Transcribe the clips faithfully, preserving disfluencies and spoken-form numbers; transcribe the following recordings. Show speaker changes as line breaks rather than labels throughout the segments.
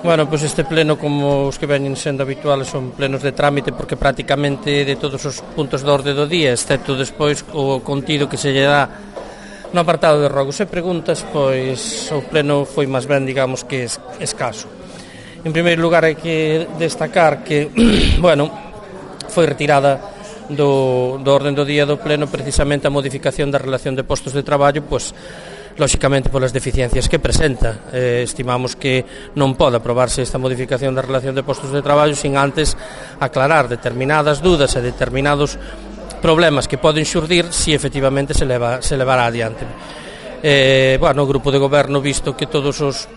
Bueno, pois este pleno, como os que veñen sendo habituales, son plenos de trámite porque prácticamente de todos os puntos de orde do día, excepto despois o contido que se lle dá no apartado de rogos e preguntas, pois o pleno foi máis ben, digamos, que es, escaso. En primeiro lugar, hai que destacar que, bueno, foi retirada do, do orden do día do pleno precisamente a modificación da relación de postos de traballo, pois, lóxicamente polas deficiencias que presenta. Eh, estimamos que non pode aprobarse esta modificación da relación de postos de traballo sin antes aclarar determinadas dudas e determinados problemas que poden xurdir se efectivamente se, leva, se levará adiante. Eh, bueno, o grupo de goberno, visto que todos os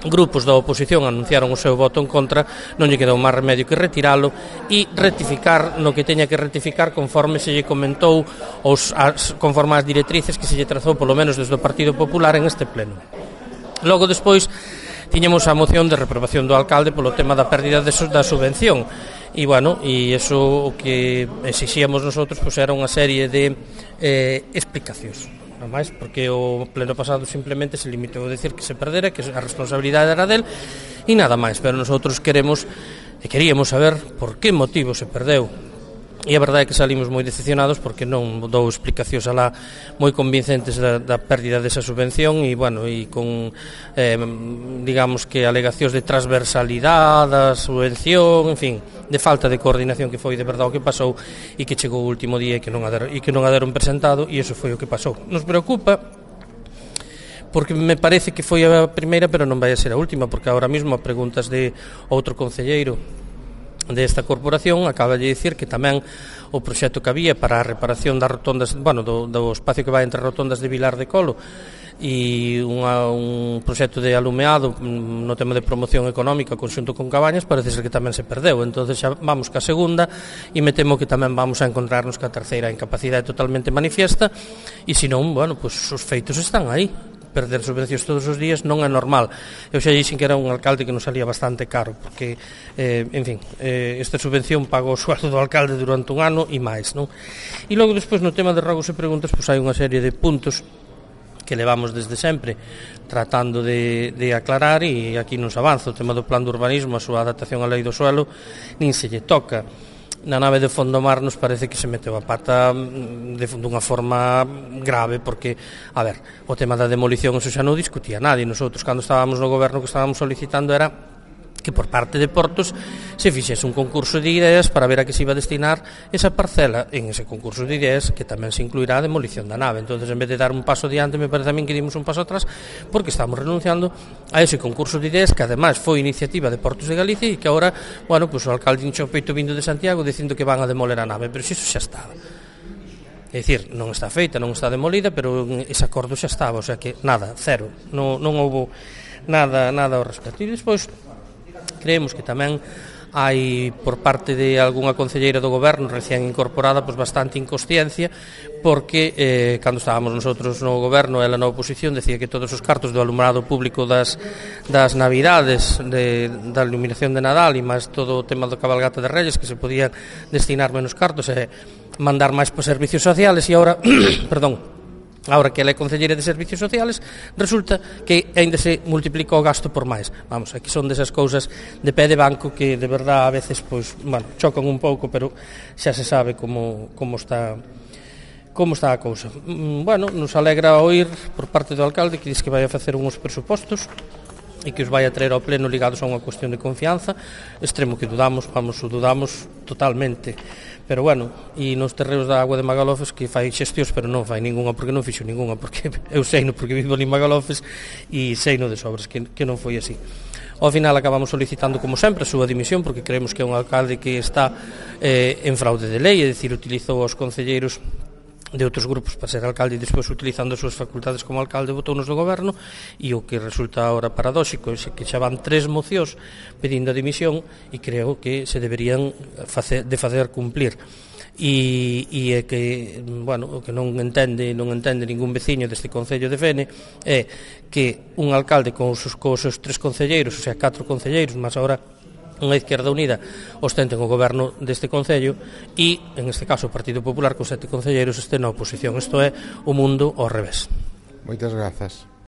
grupos da oposición anunciaron o seu voto en contra, non lle quedou máis remedio que retiralo e rectificar no que teña que rectificar conforme se lle comentou os, as, conforme as directrices que se lle trazou polo menos desde o Partido Popular en este pleno. Logo despois tiñamos a moción de reprobación do alcalde polo tema da pérdida de, da subvención e bueno, e iso o que exixíamos nosotros pois era unha serie de eh, explicacións. Máis, porque o pleno pasado simplemente se limitou a decir que se perdera, que a responsabilidade era del e nada máis, pero nosotros queremos e queríamos saber por que motivo se perdeu e a verdade é que salimos moi decepcionados porque non dou explicacións alá moi convincentes da, da pérdida desa subvención e bueno, e con eh, digamos que alegacións de transversalidade da subvención, en fin, de falta de coordinación que foi de verdade o que pasou e que chegou o último día e que non a deron, e que non a deron presentado e iso foi o que pasou. Nos preocupa porque me parece que foi a primeira pero non vai a ser a última, porque agora mesmo a preguntas de outro concelleiro desta corporación acaba de dicir que tamén o proxecto que había para a reparación das rotondas, bueno, do, do espacio que vai entre rotondas de Vilar de Colo e unha, un proxecto de alumeado no tema de promoción económica conxunto con Cabañas, parece ser que tamén se perdeu, entonces xa vamos ca segunda e me temo que tamén vamos a encontrarnos ca terceira incapacidade totalmente manifiesta e se non, bueno, pois pues, os feitos están aí. Perder subvencións todos os días non é normal. Eu xa dixen que era un alcalde que nos salía bastante caro, porque, eh, en fin, eh, esta subvención pagou o sueldo do alcalde durante un ano e máis, non? E logo, despois, no tema de rogos e preguntas, pois hai unha serie de puntos que levamos desde sempre tratando de, de aclarar e aquí non se avanza. O tema do plan de urbanismo, a súa adaptación á lei do suelo, nin se lle toca. Na nave de Fondomar nos parece que se meteu a pata de, dunha forma grave porque, a ver, o tema da demolición eso xa non discutía nadie. Nosotros, cando estábamos no goberno, que estábamos solicitando era que por parte de Portos se fixese un concurso de ideas para ver a que se iba a destinar esa parcela en ese concurso de ideas que tamén se incluirá a demolición da nave. Entonces, en vez de dar un paso diante, me parece a min que dimos un paso atrás porque estamos renunciando a ese concurso de ideas que ademais foi iniciativa de Portos de Galicia e que agora, bueno, pues o alcalde hinchou o peito vindo de Santiago dicindo que van a demoler a nave, pero iso xa estaba. É dicir, non está feita, non está demolida, pero ese acordo xa estaba, o sea que nada, cero, non, non houbo nada, nada ao respecto. E despois creemos que tamén hai por parte de algunha concelleira do goberno recién incorporada pois bastante inconsciencia porque eh, cando estábamos nosotros no goberno ela na oposición decía que todos os cartos do alumbrado público das, das navidades de, da iluminación de Nadal e máis todo o tema do cabalgata de Reyes que se podían destinar menos cartos e mandar máis para servicios sociales e agora, perdón, agora que ela é concelleira de Servicios Sociales, resulta que ainda se multiplica o gasto por máis. Vamos, aquí son desas cousas de pé de banco que de verdade a veces, pois, bueno, chocan un pouco, pero xa se sabe como, como está como está a cousa. Bueno, nos alegra oír por parte do alcalde que diz que vai a facer uns presupostos e que os vai a traer ao pleno ligados a unha cuestión de confianza, extremo que dudamos, vamos, o dudamos totalmente. Pero bueno, e nos terreos da agua de Magalofes que fai xestións, pero non fai ningunha porque non fixo ningunha, porque eu sei no porque vivo ali en Magalofes e sei no de sobras que, que non foi así. Ao final acabamos solicitando, como sempre, a súa dimisión porque creemos que é un alcalde que está eh, en fraude de lei, é dicir, utilizou os concelleiros de outros grupos para ser alcalde e despois utilizando as súas facultades como alcalde botounos do goberno e o que resulta ahora paradóxico é que xa van tres mocións pedindo a dimisión e creo que se deberían facer, de fazer cumplir e, e é que, bueno, o que non entende non entende ningún veciño deste concello de Fene é que un alcalde con os, con os seus tres concelleiros, o sea, catro concelleiros, mas agora unha Izquierda Unida ostenten o goberno deste concello e, en este caso, o Partido Popular con sete concelleiros este na oposición. Isto é o mundo ao revés.
Moitas grazas.